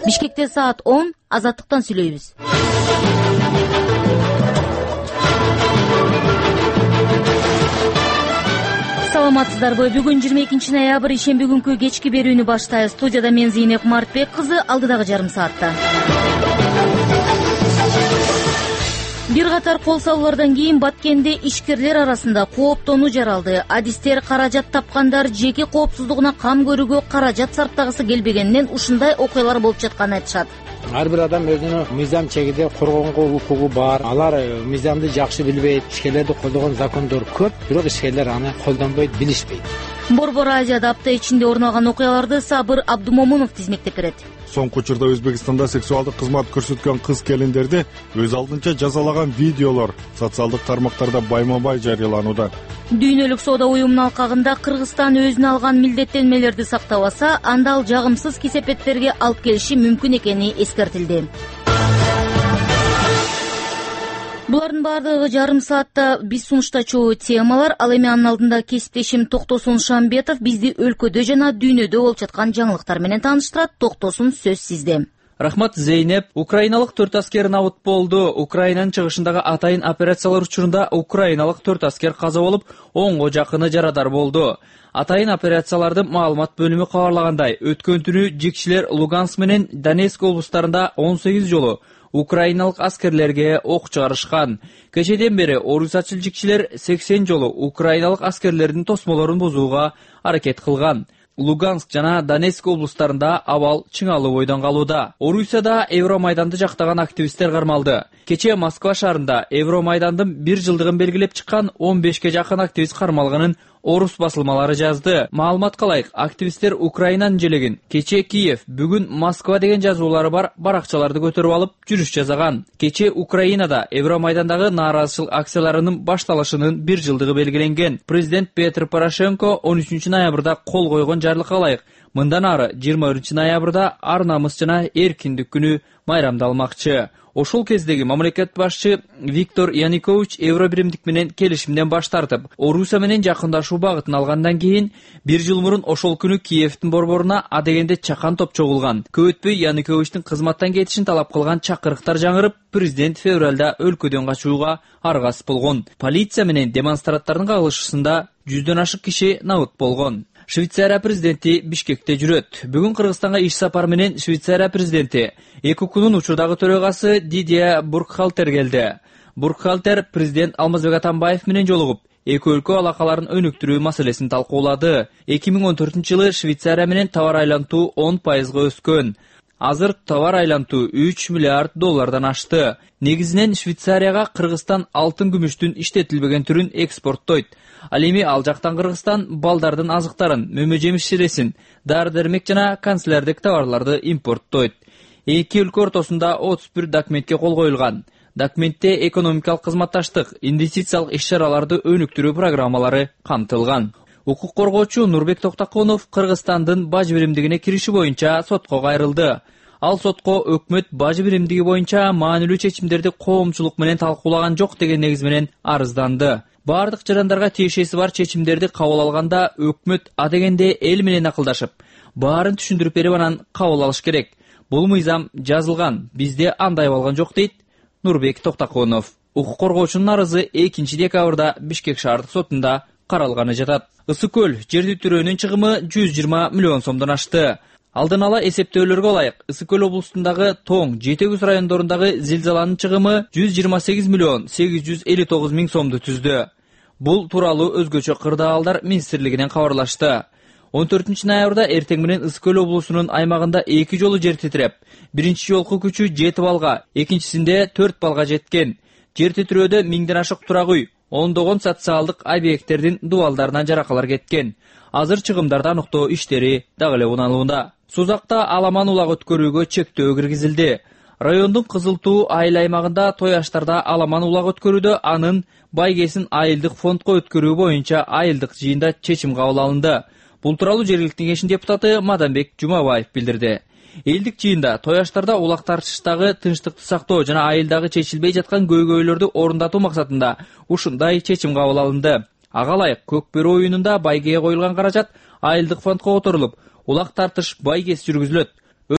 Бишкекте саат 10, Азаттыктан сүйлөйбүз. Саламатсыздарбы? Бүгүн 22 ноябрь, ишемби күнкү кечки берүүнү баштайбыз. Студияда мен Зейнеп Мартбек кызы, алдыдагы жарым саатта. Бир катар кол салуулардан кийин Баткенде ишкерлер арасында кооптонуу жаралды. Адистер каражат тапкандар жеке коопсуздугуна кам көрүүгө каражат сарптагысы келбегенинен ушундай окуялар болуп жатканын айтышат. Ар бир адам өзүнүн мыйзам чегинде коргонго укугу бар. Алар мыйзамды жакшы билбейт, ишкерлерди колдогон закондор көп, бирок ишкерлер аны колдонбойт, билишпейт. Борбор Азияда апта ичинде орун алган окуяларды Сабыр Абдумомунов тизмектеп берет. Соңку учурда Өзбекстанда сексуалдык кызмат көрсөткөн кыз-келиндерди өз алдынча жазалаган видеолор социалдык тармактарда байма-бай жарыяланууда. Дүйнөлүк соода уюмунун алкагында Кыргызстан өзүнө алган милдеттенмелерди сактабаса, анда ал жагымсыз кесепеттерге алып келиши мүмкүн экени эскертилди. Булардын баардыгы жарым саатта биз сунуштачу темалар. Ал эми анын алдында кесиптешим Токтосун Шамбетов бизди өлкөдө жана дүйнөдө болуп жаткан жаңылыктар менен тааныштырат. Токтосун, сөз сизде. Рахмат, Зейнеп. Украиналык 4 аскер набыт болду. Украинанын чыгышындагы атайын операциялар учурунда украиналык 4 аскер каза болуп, 10го жакыны жарадар болду. Атайын операциялардын маалымат бөлүмү кабарлагандай, өткөн түнү жекчилер Луганск менен Донецк облустарында 18 жолу украиналык аскерлерге ок чыгарышкан. Кечеден бери орусачыл жекчилер 80 жолу украиналык аскерлердин тосмолорун бузууга аракет кылган. Луганск жана Донецк облустарында абал чыңалуу бойдон калууда. Орусияда Евромайданды жактаган активисттер кармалды. Кече Москва шаарында Евромайдандын 1 жылдыгын белгилеп чыккан 15ке жакын активист кармалганын орус басылмалары жазды. Маалымат калайык, активисттер Украинанын желегин кече Киев, бүгүн Москва деген жазуулары бар баракчаларды көтөрүп алып жүрүш жасаган. Кече Украинада Евромайдандагы нааразычылык акцияларынын башталышынын 1 жылдыгы белгиленген. Президент Петр Порошенко 13 ноябрда кол койгон жарлыкка ылайык мындан ары 21 ноябрда ар намыс жана эркиндик күнү майрамдалмакчы. Ошол кездеги мамлекет башчы Виктор Янукович Евробиримдик менен келишимден баш тартып, Орусия менен жакындашуу багытын алгандан кийин 1 жыл мурун ошол күнү Киевдин борборуна адегенде чакан топ чогулган. Көп өтпөй Януковичтин кызматтан кетишин талап кылган чакырыктар жаңырып, президент февралда өлкөдөн качууга аргасыз болгон. Полиция менен демонстранттардын кагылышында 100дөн ашык киши набыт болгон. Швейцария президенти Бишкекте жүрөт. Бүгүн Кыргызстанга иш сапар менен Швейцария президенти ЭКУКнун учурдагы төрөгасы Дидия Буркхалтер келди. Буркхалтер президент Алмазбек Атамбаев менен жолугуп, эки өлкө алакаларын өнүктүрүү маселесин талкуулады. 2014-жылы Швейцария менен товар айлантуу 10% өскөн. Азыр товар айлантуу 3 миллиард доллардан ашты. Негизинен Швейцарияга Кыргызстан алтын күмүштүн иштетилбеген түрүн экспорттойт. Ал эми ал жактан Кыргызстан балдардын азыктарын, мөмө-жемиш ширесин, дары-дармек жана канцелярдык товарларды импорттойт. Эки өлкө ортосунда 31 документке кол коюлган. Документте экономикалык кызматташтык, инвестициялык иш-чараларды өнүктүрүү программалары камтылган. Укук коргоочу Нурбек Токтоконов Кыргызстандын бажы биримдигине кириши боюнча сотко кайрылды. Ал сотко өкмөт бажы биримдиги боюнча маанилүү чечимдерди коомчулук менен талкуулаган жок деген негиз менен арызданды. Бардык жарандарга тиешеси бар чечимдерди кабыл алганда өкмөт адегенде эл менен акылдашып, баарын түшүндүрүп берип анан кабыл алыш керек. Бул мыйзам жазылган, бизде андай болгон жок дейт Нурбек Токтоконов. Укук коргоочунун арызы 2 декабрда Бишкек шаардык сотунда каралганы жатат. Ысык көл жерди түрөөнүн чыгымы 120 миллион сомдон ашты. Алдын ала эсептөөлөргө ылайык, Ысык көл облустундагы Тоң, Жетегүз райондорундагы зилзаланын чыгымы 128 миллион 859 миң сомду түздү. Бул тууралуу өзгөчө кырдаалдар министрлигинен кабарлашты. 14 ноябрда эртең менен Ысык көл облусунун аймагында 2 жолу жер титиреп, биринчи жолку күчү 7 балга, экинчисинде 4 балга жеткен. Жер титирөөдө 1000ден ашык турак үй, ондогон социалдык объекттердин дубалдарынан жаракалар кеткен. Азыр чыгымдарды аныктоо иштери дагы эле унаалууда. Сузакта аламан улак өткөрүүгө чектөө киргизилди. Райондун Кызыл Туу айыл аймагында той аштарда аламан улак өткөрүүдө анын байгесин айылдык фондко өткөрүү боюнча айылдык жыйында чечим кабыл алынды. Бул тууралуу жергиликтүү кеңештин депутаты Мадамбек Жумабаев билдирди. Элдик жыйында той аштарда улак тартыштагы тынчтыкты сактоо жана айылдагы чечилбей жаткан көйгөйлөрдү орундатуу максатында ушундай чечим кабыл алынды. Ага ылайык көк бөрү оюнунда байгеге коюлган каражат айылдык фондко которулуп, улак тартыш байгесиз жүргүзүлөт.